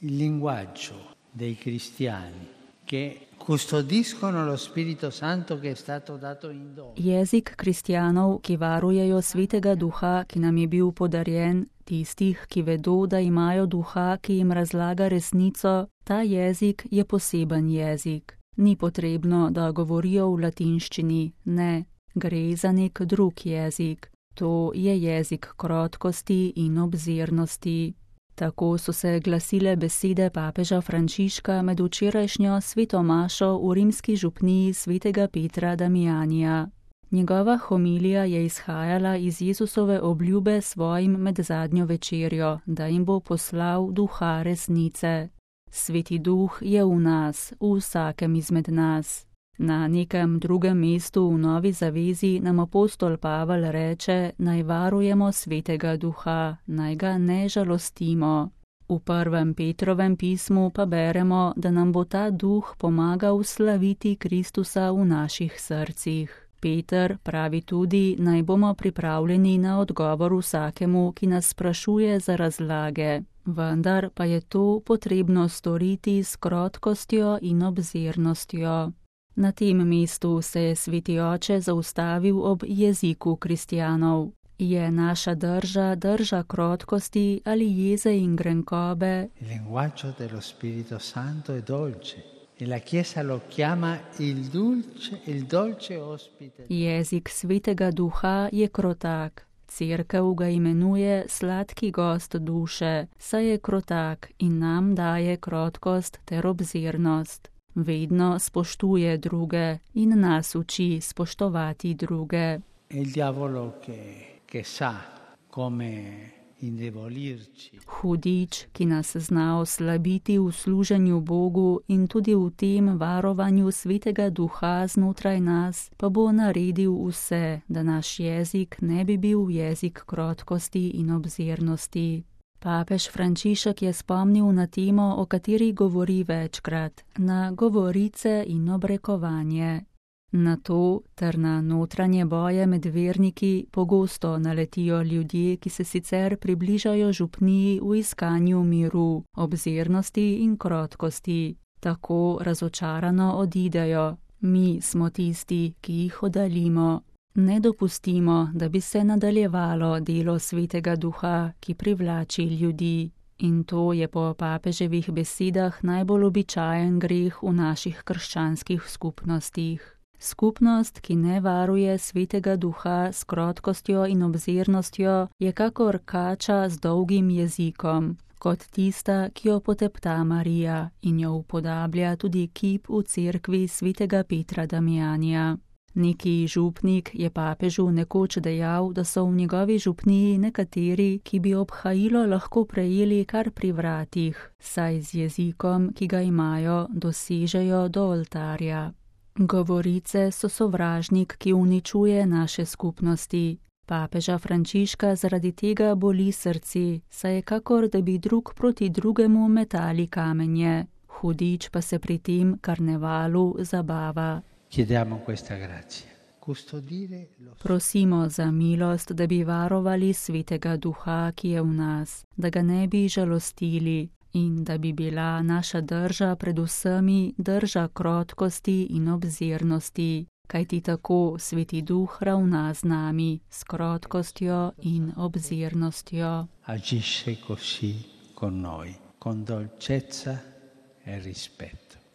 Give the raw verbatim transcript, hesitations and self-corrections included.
il linguaggio dei cristiani che custodiscono lo Spirito Santo che è stato dato in dono. Jezik kristjanov, ki varujejo svetega duha, ki nam je bil podarjen, tistih, ki vedo, da imajo duha, ki jim razlaga resnico, ta jezik je poseben jezik. Ni potrebno, da govorijo v latinščini, ne, gre za nek drug jezik. To je jezik krotkosti in obzirnosti. Tako so se glasile besede papeža Frančiška med včerajšnjo sveto mašo v rimski župniji svetega Petra Damijanija. Njegova homilija je izhajala iz Jezusove obljube svojim med zadnjo večerjo, da jim bo poslal duha resnice. Sveti duh je v nas, v vsakem izmed nas. Na nekem drugem mestu v Novi zavezi nam apostol Pavel reče, naj varujemo svetega duha, naj ga ne žalostimo. V prvem Petrovem pismu pa beremo, da nam bo ta duh pomagal slaviti Kristusa v naših srcih. Peter pravi tudi, naj bomo pripravljeni na odgovor vsakemu, ki nas sprašuje za razlage. Vendar pa je to potrebno storiti s krotkostjo in obzirnostjo. Na tem mestu se je sveti oče zaustavil ob jeziku kristjanov. Je naša drža drža krotkosti ali jeze in grenkobe? Il linguaggio dello Spirito Santo è dolce e la Chiesa lo chiama il dolce, il dolce ospite. Jezik svetega duha je krotak. Cerkev ga imenuje sladki gost duše, saj je krotak in nam daje krotkost ter obzirnost. Vedno spoštuje druge in nas uči spoštovati druge. Il diavolo che, che sa come indebolirci. Hudič, ki nas zna oslabiti v služenju Bogu in tudi v tem varovanju svetega duha znotraj nas, pa bo naredil vse, da naš jezik ne bi bil jezik krotkosti in obzirnosti. Papež Frančišek je spomnil na temo, o kateri govori večkrat, na govorice in obrekovanje. Na to ter na notranje boje med verniki pogosto naletijo ljudje, ki se sicer približajo župniji v iskanju miru, obzirnosti in krotkosti. Tako razočarano odidejo. Mi smo tisti, ki jih oddaljimo. Ne dopustimo, da bi se nadaljevalo delo svetega duha, ki privlači ljudi. In to je po papeževih besedah najbolj običajen greh v naših krščanskih skupnostih. Skupnost, ki ne varuje svetega duha s krotkostjo in obzirnostjo, je kakor kača z dolgim jezikom, kot tista, ki jo potepta Marija in jo upodablja tudi kip v cerkvi svetega Petra Damijanija. Neki župnik je papežu nekoč dejal, da so v njegovi župniji nekateri, ki bi obhajilo lahko prejeli kar pri vratih, saj z jezikom, ki ga imajo, dosežejo do oltarja. Govorice so sovražnik, ki uničuje naše skupnosti. Papeža Frančiška zaradi tega boli srce, saj je kakor, da bi drug proti drugemu metali kamenje. Hudič pa se pri tem karnevalu zabava. Chiediamo questa grazia. Custodire lo... Prosimo za milost, da bi varovali svetega duha, ki je v nas, da ga ne bi žalostili in da bi bila naša drža pred vsemi drža krotkosti in obzirnosti, kajti tako sveti duh ravna z nami, s krotkostjo in obzirnostjo. Agisce così con noi, con dolcezza e rispetto.